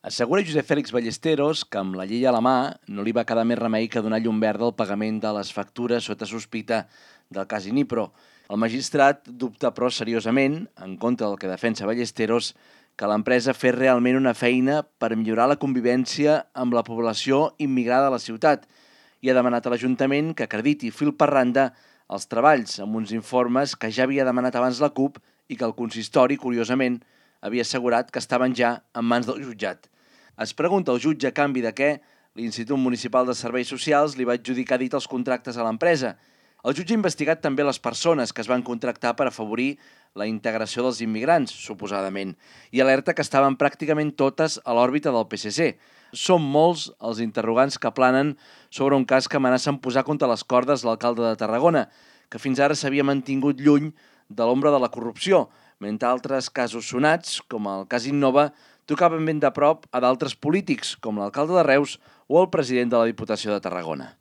Assegura Josep Fèlix Ballesteros que amb la llei a la mà no li va quedar més remei que donar llum verda al pagament de les factures sota sospita del cas Inipro. El magistrat dubta però seriosament, en contra del que defensa Ballesteros, que l'empresa fes realment una feina per millorar la convivència amb la població immigrada a la ciutat i ha demanat a l'Ajuntament que acrediti fil per randa els treballs amb uns informes que ja havia demanat abans la CUP i que el consistori, curiosament, havia assegurat que estaven ja en mans del jutjat. Es pregunta el jutge a canvi de què l'Institut Municipal de Serveis Socials li va adjudicar dit els contractes a l'empresa. El jutge ha investigat també les persones que es van contractar per afavorir la integració dels immigrants, suposadament, i alerta que estaven pràcticament totes a l'òrbita del PSC. Són molts els interrogants que planen sobre un cas que amenaça en posar contra les cordes l'alcalde de Tarragona, que fins ara s'havia mantingut lluny de l'ombra de la corrupció, mentre altres casos sonats, com el cas Innova, tocaven ben de prop a d'altres polítics, com l'alcalde de Reus o el president de la Diputació de Tarragona.